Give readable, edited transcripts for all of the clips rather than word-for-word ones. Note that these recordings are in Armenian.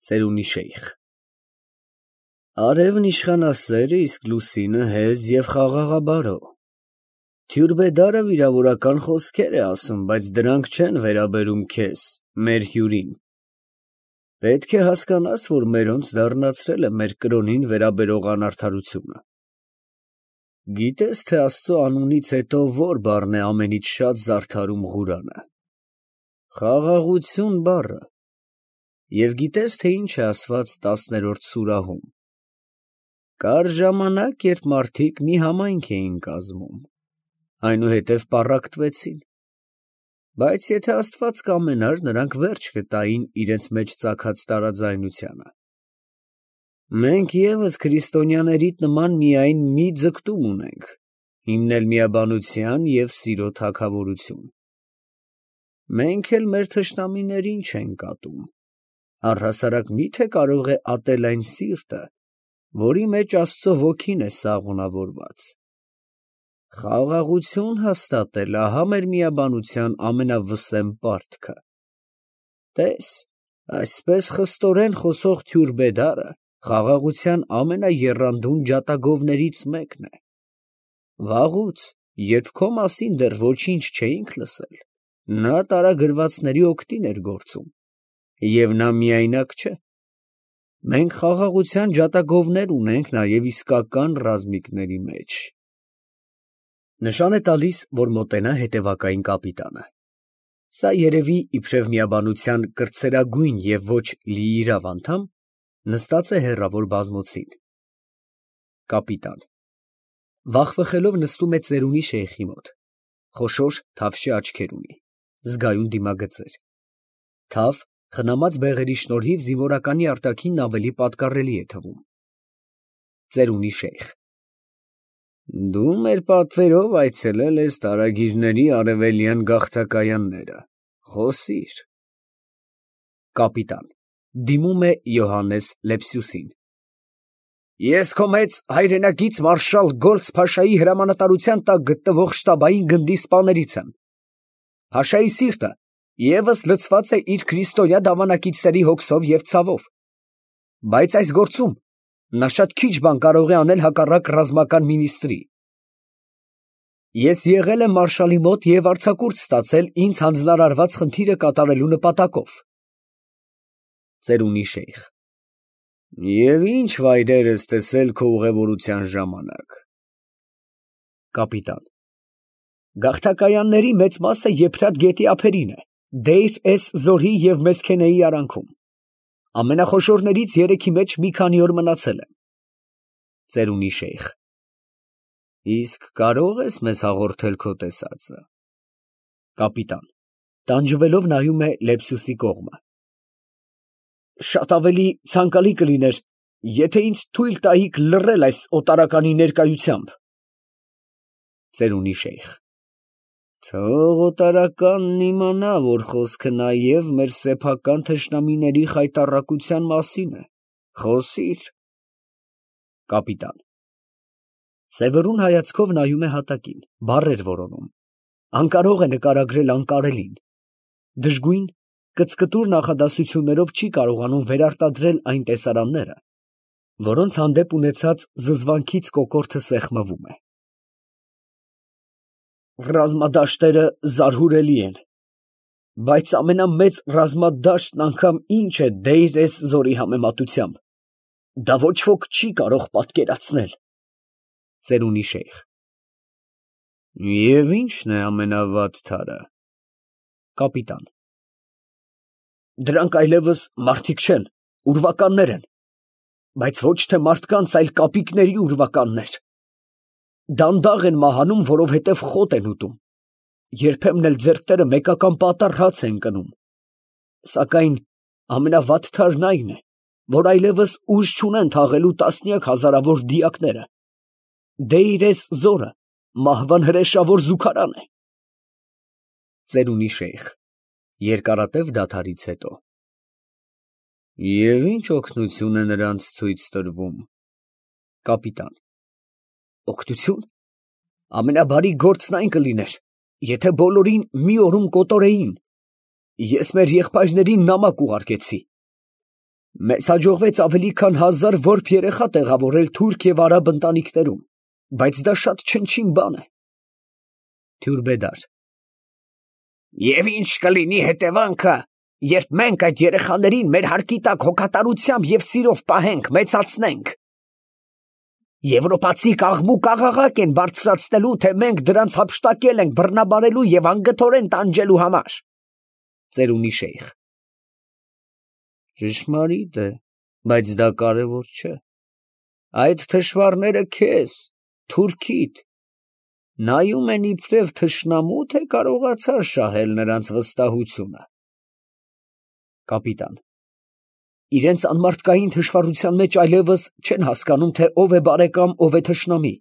Ծերունի շեյխ։ Արևն իշխանասեր է, իսկ լուսինը հեզ և խաղաղաբարո։ Թյուրբեդարը վիրավորական խոսքեր է ասում, բայց դրանք չեն վերաբերում քեզ, մեր հյուրին։ Պետք է հասկանաս, որ մերոնց դառնացրել է մեր կրոնին վերաբերող անարդարությունը։ Գիտես, թե Աստծո անունից հետո որ բառն է ամենից շատ զարդարում Ղուրանը։ Խաղաղություն բառը։ Եվ գիտես, թե ինչ է ասված 10-րդ սուրահում։ Կար ժամանակ, երբ մարդիկ մի համայնք էին կազմում, այնուհետև պառակտվեցին, բայց եթե Աստված կամենար, նրանք վերջ կտային իրենց մեջ ծագած տարաձայնությանը։ Մենք ևս քրիստոնյաներիդ նման միայն մի ձգտում ունենք, հիմնել միաբանության և սիրո թագավորություն։ Մենք էլ մեր թշնամիներին չենք ատում, առհասարակ միթե կարող է ատել այն սիրտը, որի մեջ Աստծո ոգին է սաղունավորված։ Խաղաղություն հաստատել, ահա մեր միաբանության ամենավսեմ պարտքը։ Տես, այսպես խստորեն խոսող Թյուրբեդարը խաղաղության ամենաեռանդուն ջատագովներից մեկն է։ Վաղուց, երբ քո մասին դեռ ոչինչ չէինք լսել, նա տարագրվածների օգտին էր գործում, և նա միայնակ չէ։ Մենք խաղաղության ջատագովներ ունենք նաև իսկական ռազմիկների մեջ։ Նշան է տալիս, որ մոտենա հետևակային կապիտանը։ Սա երևի իբրև միաբանության կրտսերագույն և ոչ լիիրավ անդամ, նստած է հեռավոր բազմոցին։ Կապիտան վախվխելով նստում է ծերունի շեյխի մոտ, խոշոր թավշյա աչքեր ունի, զգայուն դիմագծեր։ Թավ, խնամած բեղերի շնորհիվ զինվորականի արտաքինն ավելի պատկառելի է թվում։ Ծերունի շեյխ. Դու մեր պատվերով այցելել ես տարագիրների արևելյան գաղթակայանները, խոսիր։ Կապիտան դիմում է Յոհաննես Լեպսյուսին։ Ես քո մեծ հայրենակից մարշալ Գոլդսփաշայի հրամանատարության տակ գտնվող շտաբային գնդի սպաներից եմ։ Փաշայի սիրտը ևս լցված է իր քրիստոնյա դավանակիցների հոգսով և ցավով, բայց այս գործում նա շատ քիչ բան կարող է անել հակառակ ռազմական մինիստրի։ Ես եղել եմ մարշալի մոտ և արձակուրդ ստացել ինձ հանձնարարված խնդիրը կատարելու նպատակով։ Ծերունի շեյխ. Եվ ինչ վայրեր ես տեսել քո ուղևորության ժամանակ։ Կապիտան. Գաղթակայանների մեծ մասը Եփրատ գետի ափերին է, Դեյր էս Զորի և Մեսքենեի արանքում։ Ամենախոշորներից երեքի մեջ մի քանի օր մնացել եմ։ Ծերունի շեյխ. Իսկ կարող ես մեզ հաղորդել քո տեսածը։ Կապիտան տանջվելով նայում է Լեպսյուսի կողմը։ Շատ ավելի ցանկալի կլիներ, եթե ինձ թույլ տայիք լռել այս օտարականի ներկայությամբ։ Ծերունի շեյխ. Թող օտարականն իմանա, որ խոսքը նաև մեր սեփական թշնամիների խայտառակության մասին է, խոսիր։ Կապիտան սևեռուն հայացքով նայում է հատակին, բառեր որոնում, անկարող է նկարագրել անկարելին, դժգույն կծկտուր նախադասություններով չի կարողանում վերարտադրել այն տեսարանները, որոնց հանդեպ ունեցած զզվանքից կոկորդը սեղմվում է։ Ռազմադաշտերը զարհուրելի են, բայց ամենամեծ ռազմադաշտն անգամ ինչ է Դեյր էս Զորի համեմատությամբ, դա ոչ ոք չի կարող պատկերացնել։ Ծերունի շեյխ. Եվ ի՞նչն է ամենավատ թարը։ Կապիտան. Դրանք այլևս մարդիկ չեն, ուրվականներ են, բայց ոչ թե մարդկանց, այլ կապիկների ուրվականներ։ Դանդաղ են մահանում, որովհետև խոտ են ուտում, երբեմն էլ ձեռքները մեկական պատառ հաց են կնում, սակայն ամենավատ թարն այն է, որ այլևս ուժ չունեն թաղելու տասնյակ հազարավոր դիակները։ Դեյր էս Զորը մահվան հրեշավոր զուգարան է։ Ծերունի շեյխ երկարատև դադարից հետո. Եվ ինչ օգնություն է նրանց ցույց տրվում։ Կապիտան. Օգնություն։ Ամենաբարի գործն այն կլիներ, եթե բոլորին մի օրում կոտորեին։ Ես մեր եղբայրներին նամակ ուղարկեցի։ Մեզ հաջողվեց ավելի քան 1000 որբ երեխա տեղավորել թուրք և արաբ ընտանիքներում, բայց դա շատ չնչին բան է։ Թյուրբեդար. Եվ ինչ կլինի հետևանքը, երբ մենք այդ երեխաներին մեր հարկի տակ հոգատարությամբ և սիրով պահենք, մեծացնենք։ Եվրոպացի աղմուկ աղաղակ են բարձրացնելու, թե մենք դրանց հափշտակել ենք բռնաբարելու և անգթորեն տանջելու համար։ Ծերունի շեյխ. Ճշմարիտ է, բայց դա կարևոր չէ։ Այդ թշվառները քեզ, թուրքիդ, նայում են իբրև թշնամու, թե կարողացար շահել նրանց վստահությունը։ Կապիտան. Իրենց անմարդկային թշվառության մեջ այլևս չեն հասկանում, թե ով է բարեկամ, ով է թշնամի։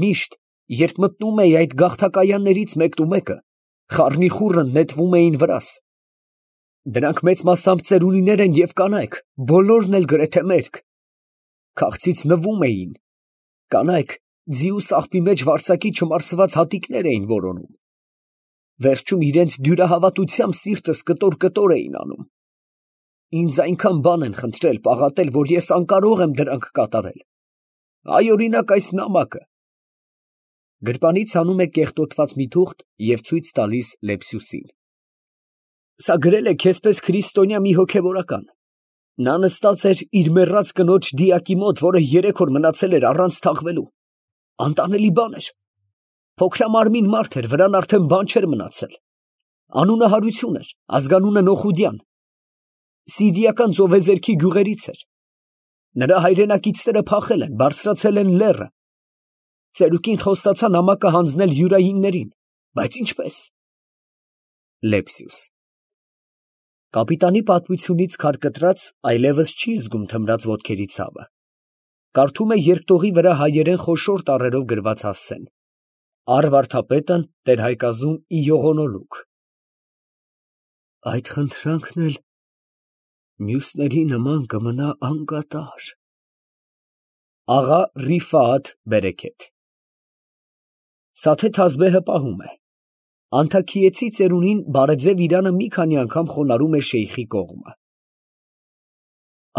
Միշտ, երբ մտնում էի այդ գաղթակայաններից մեկը, խառնիխուռը նետվում էին վրաս։ Դրանք մեծ մասամբ ծերունիներ են և կանայք, բոլորն էլ գրեթե մերկ։ Քաղցից նվում էին։ Կանայք ձի ու սաղբի մեջ վարսակի չմարսված հատիկներ էին որոնում։ Վերջում իրենց դյուրահավատությամբ սիրտս կտոր էին անում։ Ինձ այնքան բան են խնդրել, պաղատել, որ ես անկարող եմ դրանք կատարել։ Այ օրինակ այս նամակը։ Գրպանից հանում է կեղտոտված մի թուղթ և ցույց տալիս Լեպսյուսին։ Սա գրել է քեզպես քրիստոնյա մի հոգևորական։ Նա նստած էր իր մեռած կնոջ դիակի մոտ, որը 3 օր մնացել էր առանց թաղվելու։ Անտանելի բան էր։ Փոքրամարմին մարդ էր, վրան արդեն բան չէր մնացել։ Անունը Հարություն էր, ազգանունը Նոխուդյան։ Սիրիական ծովեզերքի գյուղերից էր։ Նրա հայրենակիցները փախել են, բարձրացել են լեռը։ Ծերուկին խոստացա նամակը հանձնել յուրայիններին, բայց ինչպես։ Լեպսյուս. Կապիտանի պատմությունից քարկտրած այլևս չի զգում թմրած ոտքերի ցավը։ Կարդում է երկտողի վրա հայերեն խոշոր տառերով գրված հասցեն. Առ-վարդապետն տեր-հայկազում ի յողոնոլուկ։ Այդ խնդրանքն էլ մյուսների նման կմնա անկատար։ Աղա Ռիֆաաթ Բերեքեթ։ Սաթե Թազբեհը պահում է։ Անթաքիեցի ծերունին բարեձև իրանը մի քանի անգամ խոնարհում է շեյխի կողմը։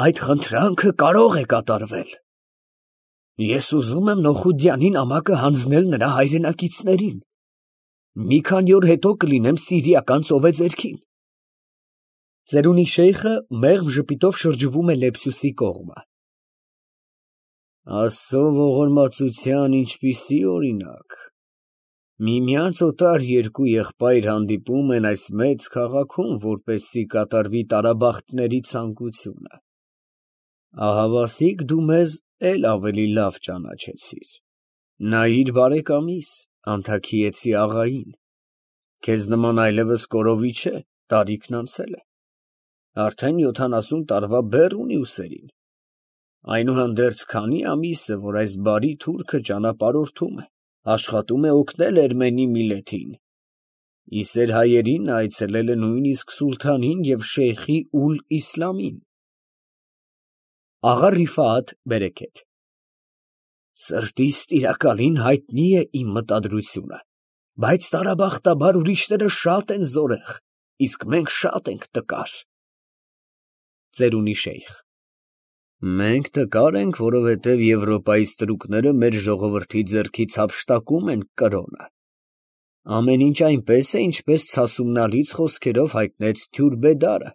Այդ խնդրանքը կարող է կատարվել։ Ես ուզում եմ Նոխուդյանի նամակը հանձնել նրա հայրենակիցներին։ Մի քանի օր հետո կլինեմ սիրիական ծովեզերքին։ Ծերունի շեյխը մեղմ ժպիտով շրջվում է Լեպսյուսի կողմը։ Աստծո ողորմածության ինչպիսի օրինակ։ Միմյանց օտար երկու եղբայր հանդիպում են այս մեծ քաղաքում, որպեսզի կատարվի տարաբախտների ցանկությունը։ Ահավասիկ դու մեզ էլ ավելի լավ ճանաչեցիր։ Նայիր բարեկամիս, անթաքիեցի աղային։ Քեզ նման այլևս կորովի չէ, տարիքն անցել է։ Արդեն 70 տարվա բեռ ունի ուսերին։ Այնուհանդերձ քանի ամիս է, որ այս բարի թուրքը ճանապարհորդում է, աշխատում է օգնել Էրմենի միլեթին։ Իսեր հայերին այցելել է նույնիսկ սուլթանին և շեյխի Ուլ Իսլամին։ Աղա Ռիֆաաթ Բերեքեթ։ Սրտիս տիրակալին հայտնի է իմ մտադրությունը, բայց տարաբախտաբար ուրիշները շատ են զորեղ, իսկ մենք շատ ենք տկար։ Ծերունի շեյխ։ Մենք տկար ենք, որովհետև Եվրոպայի ստրուկները մեր ժողովրդի ձեռքից հափշտակում են կրոնը։ Ամեն ինչ այնպես է, ինչպես ցասումնալից խոսքերով հայտնեց Թյուրբեդարը։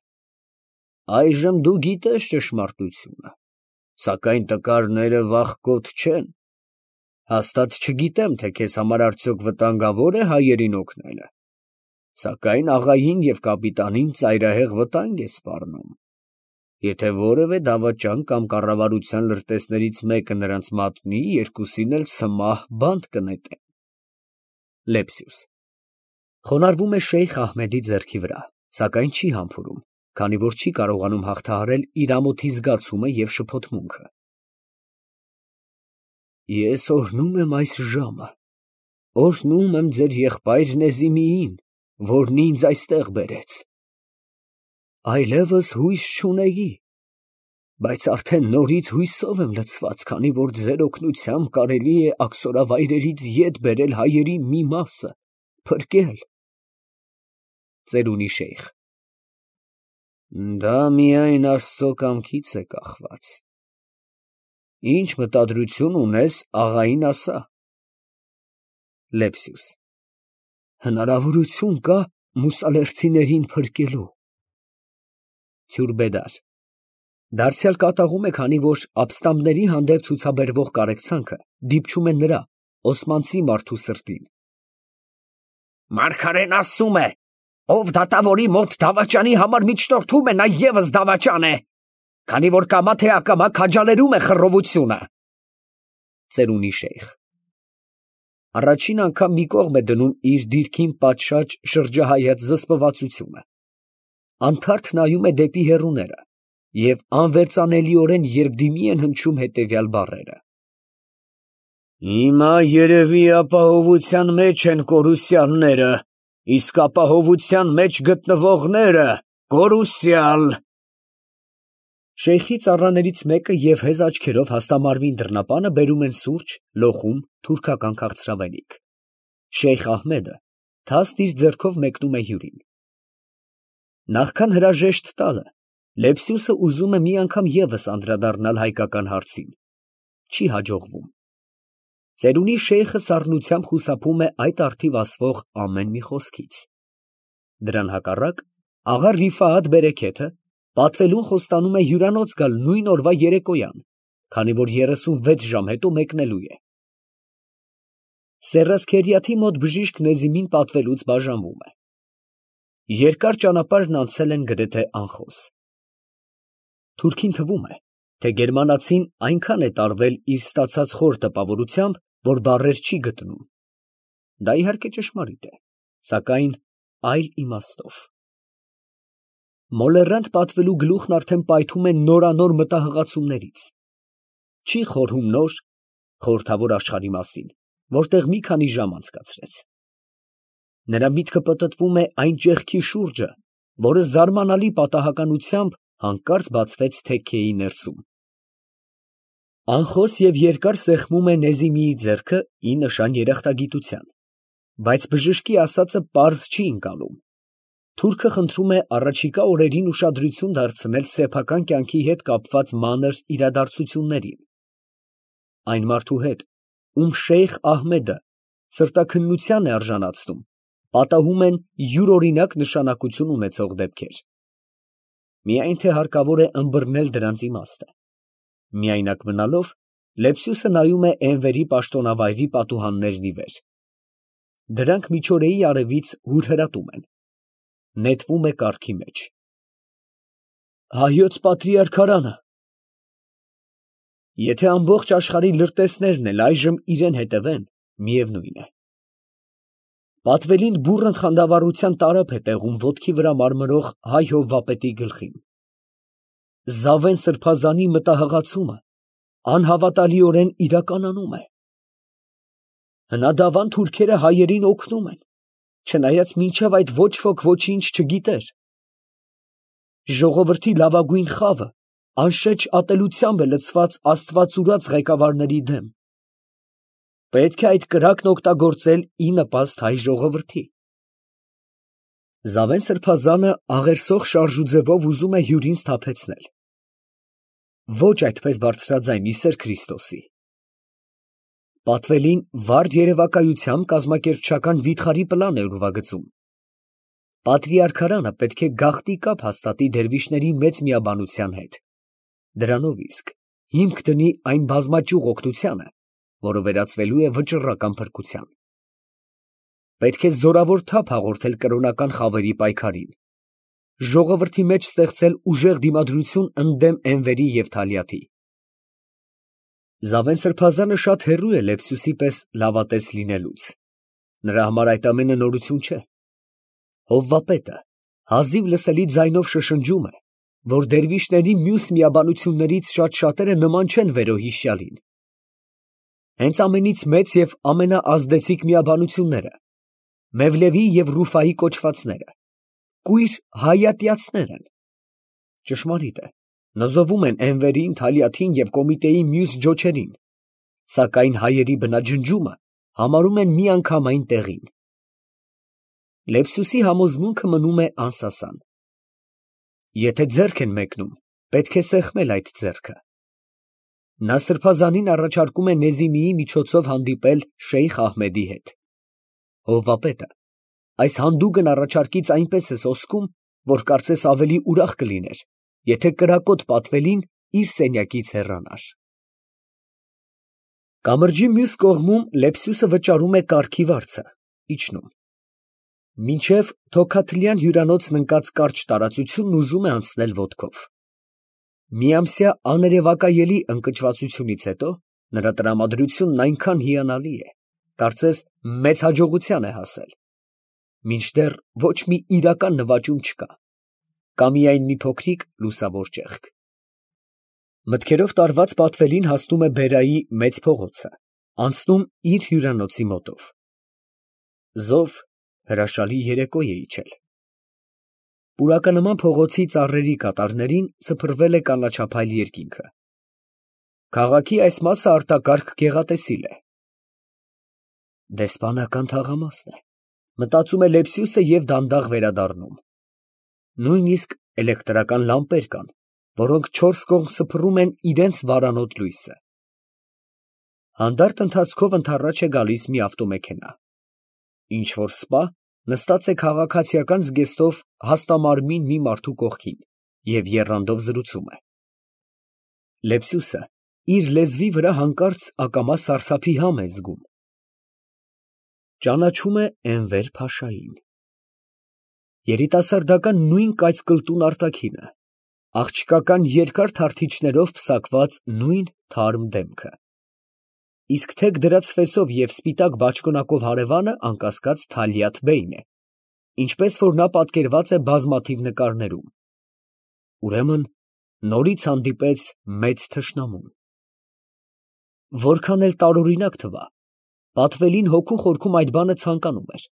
Այժմ դու գիտես ճշմարտությունը, սակայն տկարները վախկոտ չեն։ Հաստատ չգիտեմ, թե քեզ համար արդյոք վտանգավոր է հայերին օգնելը, սակայն աղային և կապիտանին ծայրահեղ վտանգ է սպառնում։ Եթե որևէ դավաճան կամ կառավարության լրտեսներից մեկը նրանց մատնի, երկուսին էլ սմահ բանտ կնետեն։ Լեպսյուս խոնարհվում է շեյխ Ահմեդի ձեռքի վրա, սակայն չի համբուրում, քանի որ չի կարողանում հաղթահարել իր ամոթի զգացումը և շփոթմունքը։ Ես օրհնում եմ այս ժամը, օրհնում եմ ձեր եղբայր Նեզիմիին, որն ինձ այստեղ բերեց։ Այլևս հույս չունեի, բայց արդեն նորից հույսով եմ լցված, քանի որ ձեր օգնությամբ կարելի է աքսորավայրերից ետ բերել հայերի մի մասը, փրկել։ Ծերունի շեյխ։ Դա միայն Աստծո կամքից է կախված։ Ինչ մտադրություն ունես, աղային ասա։ Լեպսյուս։ Հնարավորություն կա մուսալերցիներին փրկելու։ Հյուրբեդար։ Դարձյալ կատաղում է, քանի որ ապստամբների հանդեպ ցուցաբերվող կարեկցանքը դիպչում է նրա, օսմանցի մարդու սրտին։ Մարգարեն ասում է. ով դատավորի մոտ դավաճանի համար միջնորդում է, նա ևս դավաճան է, քանի որ կամա թե ակամա քաջալերում է խռովությունը։ Ծերունի շեյխ։ Առաջին անգամ մի կողմ է դնում իր դիրքին պատշաճ շրջահայաց զսպվածությունը։ Անթարթ նայում է դեպի հեռուները և անվերծանելիորեն երկդիմի են հնչում հետևյալ բառերը. Հիմա երևի ապահովության մեջ են կորուսյալները, իսկ ապահովության մեջ գտնվողները կորուսյալ։ Շեյխի ծառաներից մեկը և հեզ աչքերով հաստամարմին դռնապանը բերում են սուրճ, լոխում, թուրքական քաղցրավենիք։ Շեյխ Ահմեդը թաստ իր ձեռքով մեկնում է հյուրին։ Նախքան հրաժեշտ տալը, Լեպսյուսը ուզում է մի անգամ ևս անդրադառնալ հայկական հարցին։ Չի հաջողվում։ Ծերունի շեյխը սառնությամբ խուսափում է այդ առթիվ ասվող ամեն մի խոսքից։ Դրան հակառակ, աղա Ռիֆայաթ բերեքեթը պատվելուն խոստանում է հյուրանոց գալ նույն օրվա երեկոյան, քանի որ 36 ժամ հետո մեկնելու է։ Սեռասքերիաթի մոտ բժիշկ Նեզիմին պատվելուց բաժանվում է։ Երկար ճանապարհն անցել են գրեթե անխոս։ Թուրքին թվում է, թե գերմանացին այնքան է տարվել իր ստացած խոր տպավորությամբ, որ բառեր չի գտնում։ Դա իհարկե ճշմարիտ է, սակայն այլ իմաստով։ Մոլեռանդ պատվելու գլուխն արդեն պայթում է նորանոր մտահղացումներից։ Չի խորհում նոր, խորհրդավոր աշխարհի մասին, որտեղ մի քանի ժամ անցկացրեց։ Նրա միտքը պտտվում է այն ճեղքի շուրջը, որը զարմանալի պատահականությամբ հանկարծ բացվեց թեքեի ներսում։ Անխոս և երկար սեղմում է Նեզիմիի ձեռքը ի նշան երախտագիտության, բայց բժշկի ասածը պարզ չի ընկալում։ Թուրքը խնդրում է առաջիկա օրերին ուշադրություն դարձնել սեփական կյանքի հետ կապված մանր իրադարձություններին։ Այն մարդու հետ, ում Շեյխ Ահմեդը սրտաքննության է արժանացնում, պատահում են յուրօրինակ նշանակություն ունեցող դեպքեր։ Միայն թե հարկավոր է ըմբռնել դրանց իմաստը։ Միայնակ մնալով, Լեպսյուսը նայում է Էնվերի պաշտոնավայրի պատուհաններն ի վեր։ Դրանք միջօրեի արևից հուրհրատում են։ Նետվում է կառքի մեջ։ Հայոց պատրիարքարանը։ Եթե ամբողջ աշխարհի լրտեսներն էլ այժմ իրեն հետևեն, միևնույն է։ Պատվելին բուռն խանդավառության տարափ է տեղում ոտքի վրա մարմրող հայ հովվապետի գլխին։ Զավեն սրբազանի մտահղացումը անհավատալիորեն իրականանում է։ Հնադավան թուրքերը հայերին օգնում են, չնայած մինչև այդ ոչ ոք ոչինչ չգիտեր։ Ժողովրդի լավագույն խավը անշեջ ատելությամբ է լցված աստվածուրաց ղեկավարների դեմ։ Պետք է այդ կրակն օգտագործել ի նպաստ հայ ժողովրդի։ Զավեն սրբազանը աղերսող շարժուձևով ուզում է հյուրին սթափեցնել։ Ոչ այդպես բարձրաձայն, ի սեր Քրիստոսի։ Պատվելին վառ երևակայությամբ կազմակերպչական վիթխարի պլան է ուրվագծում։ Պատրիարքարանը պետք է գաղտնի կապ հաստատի դերվիշների մեծ միաբանության հետ։ Դրանով իսկ հիմք դնի այն բազմաճյուղ օգնությանը, որը վերածվելու է վճռական փրկության։ Պետք է զորավոր թափ հաղորդել կրոնական խավերի պայքարին, ժողովրդի մեջ ստեղծել ուժեղ դիմադրություն ընդդեմ Էնվերի և Թալիաթի։ Զավեն սրբազանը շատ հեռու է Լեպսյուսի պես լավատես լինելուց։ Նրա համար այդ ամենը նորություն չէ։ Հովվապետը հազիվ լսելի ձայնով շշնջում է, որ դերվիշների մյուս միաբանություններից շատ-շատերը նման չեն վերոհիշյալին։ Հենց ամենից մեծ և ամենաազդեցիկ միաբանությունները Մևլևի և Ռուֆայի կոչվածները կույր հայատյացներ են։ Ճշմարիտ է, նզովում են Էնվերին, Թալիաթին և կոմիտեի մյուս ջոչերին, սակայն հայերի բնաջնջումը համարում են միանգամայն տեղին։ Լեպսյուսի համոզմունքը մնում է անսասան։ Եթե ձեռք են մեկնում, պետք է սեղմել այդ ձեռքը։ Նա սրբազանին առաջարկում է Նեզիմիի միջոցով հանդիպել Շեյխ Ահմեդի հետ։ Հովվապետը այս հանդուգն առաջարկից այնպես է սոսկում, որ կարծես ավելի ուրախ կլիներ, եթե կրակոտ պատվելին իր սենյակից հեռանար։ Կամրջի մյուս կողմում Լեպսյուսը վճարում է կառքի վարձը, իջնում։ Մինչև Թոքաթլյան հյուրանոցն ընկած կարճ տարածությունն ուզում է անցնել ոտքով։ Միամսյա աներևակայելի ընկճվածությունից հետո նրա տրամադրությունն այնքան հիանալի է, կարծես մեծ հաջողության է հասել։ Մինչդեռ ոչ մի իրական նվաճում չկա, կա միայն մի փոքրիկ լուսավոր ճեղք։ Մտքերով տարված պատվելին հասնում է Բերայի մեծ փողոցը, անցնում իր հյուրանոցի մոտով։ Զով հրաշալի երեկո է իջել։ Պուրականման փողոցի ծառերի կատարներին սփռվել է կանաչափայլ երկինքը։ Քաղաքի այս մասը արտակարգ գեղատեսիլ է։ Դեսպանական թաղամասն է, մտածում է Լեպսյուսը և դանդաղ վերադառնում։ Նույնիսկ էլեկտրական լամպեր կան, որոնք չորս կողմ սփռում են իրենց վարանոտ լույսը։ Հանդարտ ընթացքով ընդառաջ է գալիս մի ավտոմեքենա։ Ինչ֊որ սպա նստած է քաղաքացիական զգեստով հաստամարմին մի մարդու կողքին և եռանդով զրուցում է։ Լեպսյուսը իր լեզվի վրա հանկարծ ակամա սարսափի համ է զգում։ Ճանաչում է Էնվեր փաշային։ Երիտասարդական նույն կայծկլտուն արտաքինը, աղջկական երկար թարթիչներով պսակված նույն թարմ դեմքը։ Իսկ թեք դրած ֆեսով և սպիտակ բաճկոնակով հարևանը անկասկած Թալյաթ֊բեյն է, ինչպես որ նա պատկերված է բազմաթիվ նկարներում։ Ուրեմն նորից հանդիպեց մեծ թշնամուն։ Որքան էլ տարօրինակ թվա, պատվելին հոգու խորքում այդ բանը ցանկանում էր։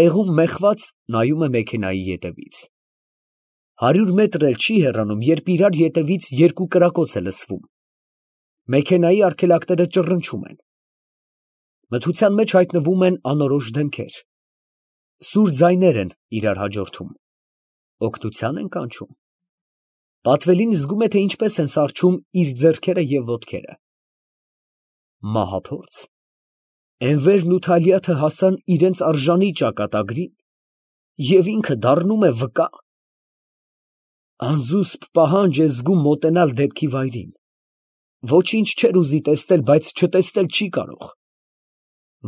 Տեղում մեխված նայում է մեքենայի ետևից։ 100 մետր էլ չի հեռանում, երբ իրար ետևից երկու կրակոց է լսվում։ Մեքենայի արգելակները ճռնչում են։ Մթության մեջ հայտնվում են անորոշ դեմքեր։ Սուր ձայներ են իրար հաջորդում։ Օգնության են կանչում։ Պատվելին զգում է, թե ինչպես են սառչում իր ձեռքերը և ոտքերը։ Մահափորձ։ Էնվերն ու Թալյաթը հասան իրենց արժանի ճակատագրին, և ինքը դառնում է վկա։ Անզուսպ պահանջ է զգում մոտենալ դեպքի վայրին։ Ոչինչ չէր ուզի տեսնել, բայց չտեսնել չի կարող։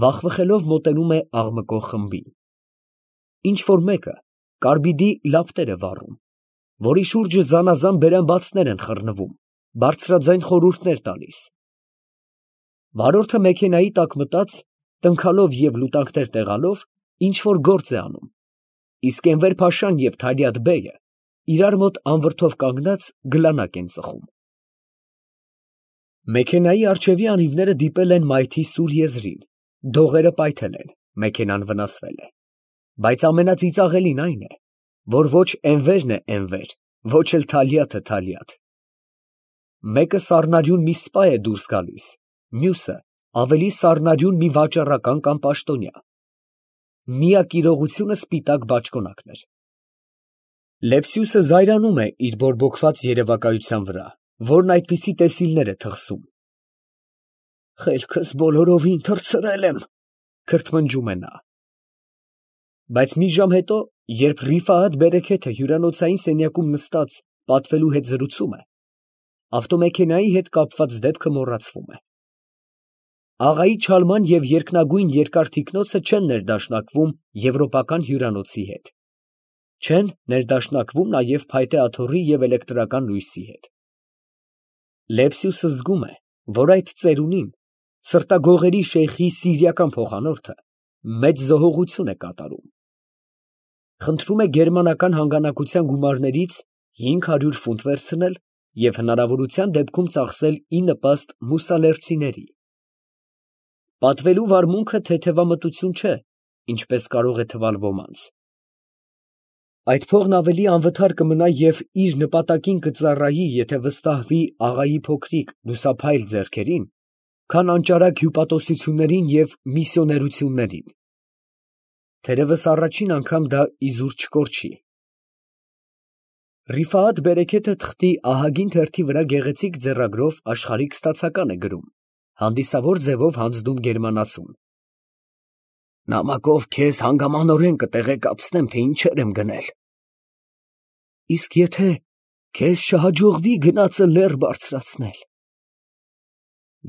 Վախվխելով մոտենում է աղմկող խմբին։ Ինչ֊որ մեկը կարբիդի լապտեր է վառում, որի շուրջը զանազան բերանբացներ են խռնվում, բարձրաձայն խորհուրդներ տալիս։ Վարորդը մեքենայի տակ մտած, տնքալով և լուտանքներ տեղալով, ինչ֊որ գործ է անում, իսկ Էնվեր֊փաշան և Թալյաթ֊բեյը իրար մոտ անվրդով կանգնած գլանակ են ծխում։ Մեքենայի առջևի անիվները դիպել են մայթի սուր եզրին, դողերը պայթել են, մեքենան վնասվել է, բայց ամենածիծաղելին այն է, որ ոչ Էնվերն է Էնվեր, ոչ էլ Թալյաթը Թալյաթ։ Մեկը սառնարյուն մի սպա է դուրս գալիս, մյուսը ավելի սառնարյուն մի վաճառական կամ պաշտոնյա։ Միակ իրողությունը սպիտակ բաճկոնակն էր։ Լեպսյուսը զայրանում է իր բորբոքված երևակայության վրա, որն այդպիսի տեսիլներ է թխսում։ Խելքս բոլորովին թռցրել եմ, քրթմնջում է նա։ Բայց մի ժամ հետո, երբ Ռիֆայաթ Բերեքեթը հյուրանոցային սենյակում նստած պատվելու հետ զրուցում է, ավտոմեքենայի հետ կապված դեպքը մոռացվում է։ Աղայի չալման և երկնագույն երկար թիկնոցը չեն ներդաշնակվում եվրոպական հյուրանոցի հետ։ Չեն ներդաշնակվում նաև փայտե աթոռի և էլեկտրական լույսի հետ։ Լեպսյուսը զգում է, որ այդ ծերունին, սրտագողերի շեյխի սիրիական փոխանորդը, մեծ զոհողություն է կատարում։ Խնդրում է գերմանական հանգանակության գումարներից 500 ֆունտ վերցնել և հնարավորության դեպքում ծախսել ի նպաստ մուսալերցիների։ Պատվելու վարմունքը թեթևամտություն չէ, ինչպես կարող է թվալ ոմանց։ Այդ փողն ավելի անվթար կմնա և իր նպատակին կծառայի, եթե վստահվի աղայի փոքրիկ, լուսափայլ ձեռքերին, քան անճարակ հյուպատոսություններին և միսիոներություններին։ Թերևս առաջին անգամ դա իզուր չկորչի։ Ռիֆայետ Բերեքեթը թղթի ահագին թերթի վրա գեղեցիկ ձեռագրով աշխարհիկ ստացական է գրում, հանդիսավոր ձևով հանձնում գերմանացուն։ Նամակով քեզ հանգամանորեն կտեղեկացնեմ, թե ինչեր եմ գնել։ Իսկ եթե քեզ չհաջողվի գնացը լեռ բարձրացնել։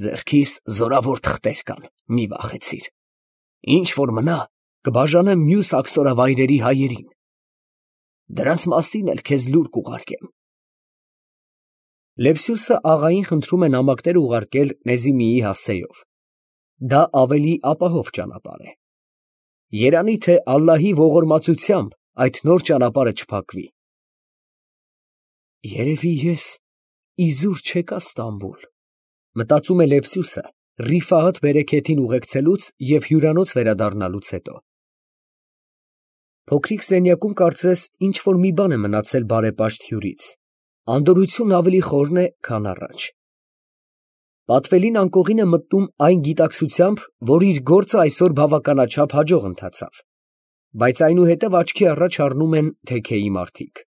Ձեռքիս զորավոր թղթեր կան, մի վախեցիր։ Ինչ որ մնա, կբաժանեմ մյուս աքսորավայրերի հայերին։ Դրանց մասին էլ քեզ լուր կուղարկեմ։ Լեպսյուսը աղային խնդրում է նամակներ ուղարկել Նեզիմիի հասցեով։ Դա ավելի ապահով ճանապարհ է։ Երանի թե Ալլահի ողորմածությամբ այդ նոր ճանապարհը չփակվի։ Երևի ես իզուր չեկա Ստամբուլ, մտածում է Լեպսյուսը Ռիֆայետ Բերեքեթին ուղեկցելուց և հյուրանոց վերադառնալուց հետո։ Փոքրիկ սենյակում կարծես ինչ որ մի բան է մնացել բարեպաշտ հյուրից, անդորրությունն ավելի խորն է, քան առաջ։ Պատվելին անկողին է մտնում այն գիտակցությամբ, որ իր գործը այսօր բավականաչափ հաջող ընթացավ, բայց այնուհետև աչքի առաջ առնում են թեքեի մարդիկ։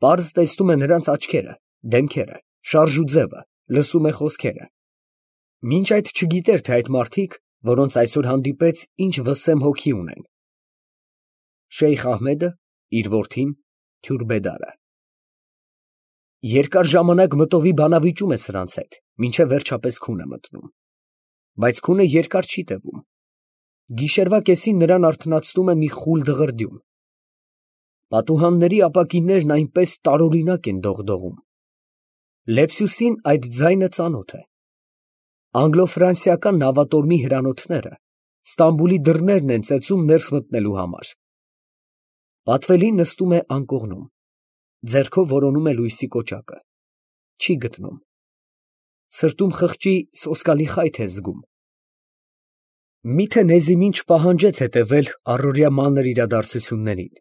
Պարզ տեսնում է նրանց աչքերը, դեմքերը, շարժուձևը, լսում է խոսքերը։ Մինչ այդ չգիտեր, թե այդ մարդիկ, որոնց այսօր հանդիպեց, ինչ վսեմ հոգի ունեն։ Շեյխ Ահմեդը, իր որդին, Թյուրբեդարը։ Երկար ժամանակ մտովի բանավիճում է սրանց հետ, մինչև վերջապես քուն է մտնում։ Բայց քունը երկար չի տևում։ Գիշերվա կեսին նրան արթնացնում է մի խուլ դղրդյուն։ Պատուհանների ապակիներն այնպես տարօրինակ են դողդողում։ Լեպսյուսին այդ ձայնը ծանոթ է։ Անգլո֊ֆրանսիական նավատորմի հրանոթները Ստամբուլի դռներն են ծեծում ներս մտնելու համար։ Պատվելին նստում է անկողնում, ձեռքով որոնում է լույսի կոճակը, չի գտնում։ Սրտում խղճի սոսկալի խայթ է զգում։ Միթե Նեզիմին չպահանջեց հետևել առօրյա մանր իրադարձություններին։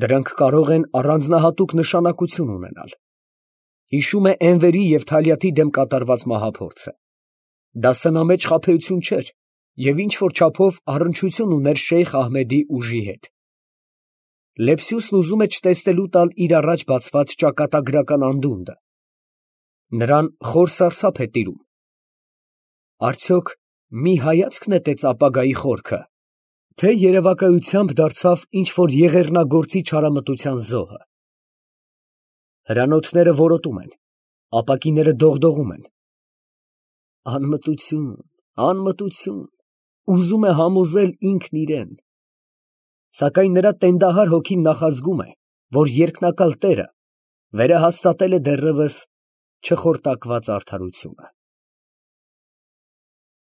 Դրանք կարող են առանձնահատուկ նշանակություն ունենալ։ Հիշում է Էնվերի և Թալյաթի դեմ կատարված մահափորձը։ Դա սնամեջ խաբեություն չէր և ինչ-որ չափով առնչություն ուներ Շեյխ Ահմեդի ուժի հետ։ Լեպսյուսն ուզում է չտեսնելու տալ իր առաջ բացված ճակատագրական անդունդը։ Նրան խոր սարսափ է տիրում։ Արդյոք մի հայացք նետեց ապագայի խորքը, թե երևակայությամբ դարձավ ինչ-որ եղեռնագործի չարամտության զոհը։ Հրանոթները որոտում են, ապակիները դողդողում են։ Անմտություն, անմտություն, ուզում է համոզել ինքն իրան։ Սակայն նրա տենդահար հոգին նախազգում է, որ երկնակալ տերը վերահաստատել է դեռևս չխորտակված արդարությունը։